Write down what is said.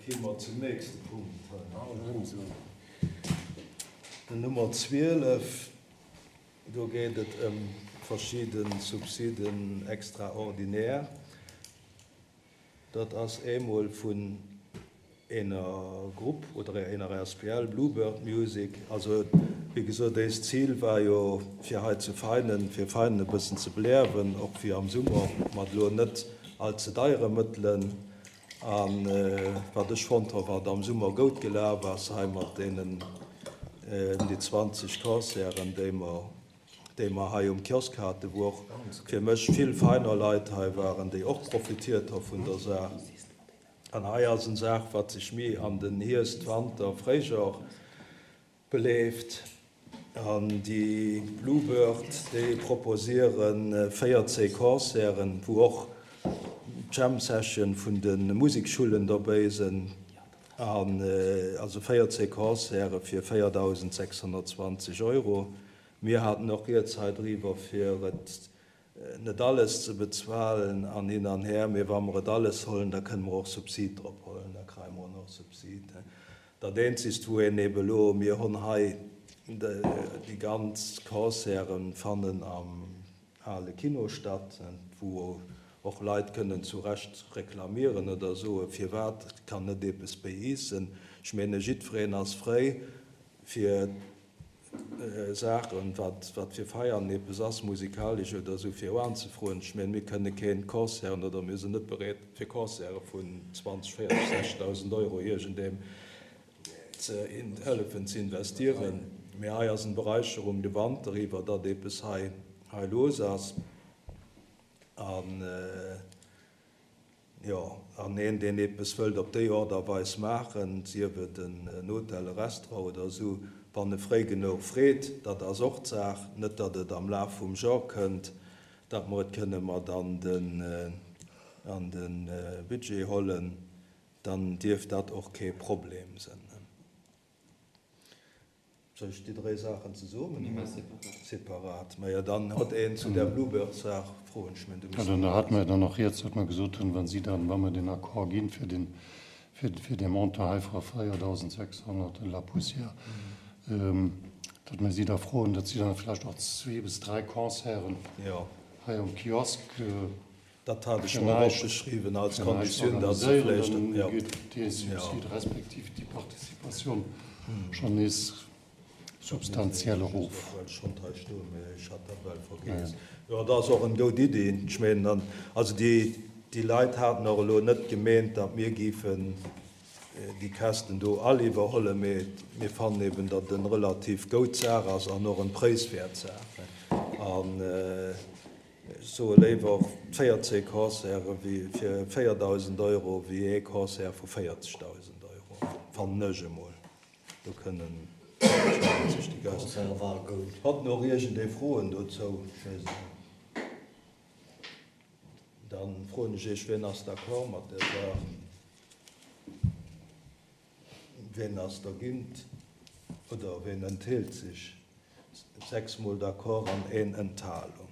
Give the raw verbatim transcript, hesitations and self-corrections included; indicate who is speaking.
Speaker 1: Gi mer zum nächste Punkt. Den Nummer zwielef, do geet et ëm verschidde Subsiden extraordinaire. Dat ass eemol vun ener Grupp oder ener A S B L, Bluebird Music. Also, wéi gesot, eist Zil war jo fir hei zu Veinen, fir Veinen e bëssen ze beliewen, och fir am Summer mat elo net allze deiere Mëttelen. An wat ech fonnt hu wat am Summer goud gelaf ass hei mat deenen ëm déi zwanzeg Concerten, déi mer déi mer hei um Kiosk haten, wou och fir mech vill Veiner Leit hei waren, déi och profitiert hu vun der Saach. An hei ass en Saach, wat sech méi an den Hierscht, Wanter, Fréijoer beleeft. An déi Bluebird, déi proposiere véierzéng Concerten, wou och Jam Session vun de Musikschullen dobäi sinn. An also véierzéng Concerte fir véierdausend sechshonnertzwanzeg Euro. Mir haten och rieds hei driwwer, fir et net alles ze bezuelen an hin an her, mee wa mer et alles hollen, da kënne mer och Subsid drop hollen, da kréie mer och Subsid. Dat eenzegt, wou een eben elo, mir hunn hei déi ganz Concerten fannen am ale Kino statt, wou och Leit kënnen zu Recht reklamieren oder soen, firwat kann net eppes béi iis sinn. Ech menge jiddwereen ass fréi fir Saachen, wat wat fir Feiern eppes ass, musikalesch oder esou, fir anzefroen. Ech menge mir kënne keen Concerten oder mir sinn net bereet fir Concerte vun zwanzeg, véierzeg, sechzegdausend Euro iergendem ze hëllefen ze investieren. Mee hei ass en Beräicherung de Wanter iwwer, datt eppes hei hei los ass. An jo, an een, deen eppes wëllt op déi Aart a Weis maachen, sief et en Hotel, e Restaurant oder esou, wann e fréi genuch freet, dat ass och d'Saach, net datt et am Laf vum Joer kënnt, datt mer et kënne mat an den an de Budget hollen, dann dierft dat och kee Problem sinn. Soll ech déi dräi Saachen zesummen
Speaker 2: Nee,
Speaker 1: oder
Speaker 2: separat.
Speaker 1: Separat? Majo, dann hott een zu där Bluebird-Saach Froen. Ech mengen, du
Speaker 3: Ja,
Speaker 1: misst.
Speaker 3: Dann hat mer dann och rieds, datt mer gesot hunn, wa si dann, wa mer den Accord ginn fir den, fir, fir dee Montant hei vu véierdausend sechshonnert et la poussière, ähm, datt mer si da froen, datt si dann vläicht och zwee bis dräi Concerten
Speaker 1: Jo.
Speaker 3: hei um Kiosk äh,
Speaker 1: Dat hat ech mer
Speaker 3: vielleicht,
Speaker 1: opgeschriwwen als
Speaker 3: vielleicht
Speaker 1: Konditioun, datt se
Speaker 3: organiséieren,
Speaker 1: vläicht,
Speaker 3: dann
Speaker 1: jo.
Speaker 3: geet dee
Speaker 1: Jo.
Speaker 3: Subsid respektiv déi Participatioun schonn nees substantiell erof.
Speaker 1: Schonn hei stoen, mee ech hat dat well vergiess. Jo, dat ass och eng goud Iddi. Ech mengen dann, also déi, déi Leit haten och elo net gemeent, datt mir géifen déi Käschten do all iwwerhollen, mee mir fannen eben, datt et eng relativ goud Saach ass an och eng préiswäert Saach. An ech soe léiwer véierzéng Concerte wéi fir véierdausend Euro wéi ee Concert vu véierzegdausend Euro, fannen ech emol. Do kënnen sech déi Gäscht.
Speaker 4: Concert war goud.
Speaker 1: Hatt nach iergendee Froen dozou? Ech weess et net. Dann froen ech Iech, wien ass d'accord mat där Saach? Wien ass dergéint oder wien enthält sech? Sechs mol d'accord an een Enthalung.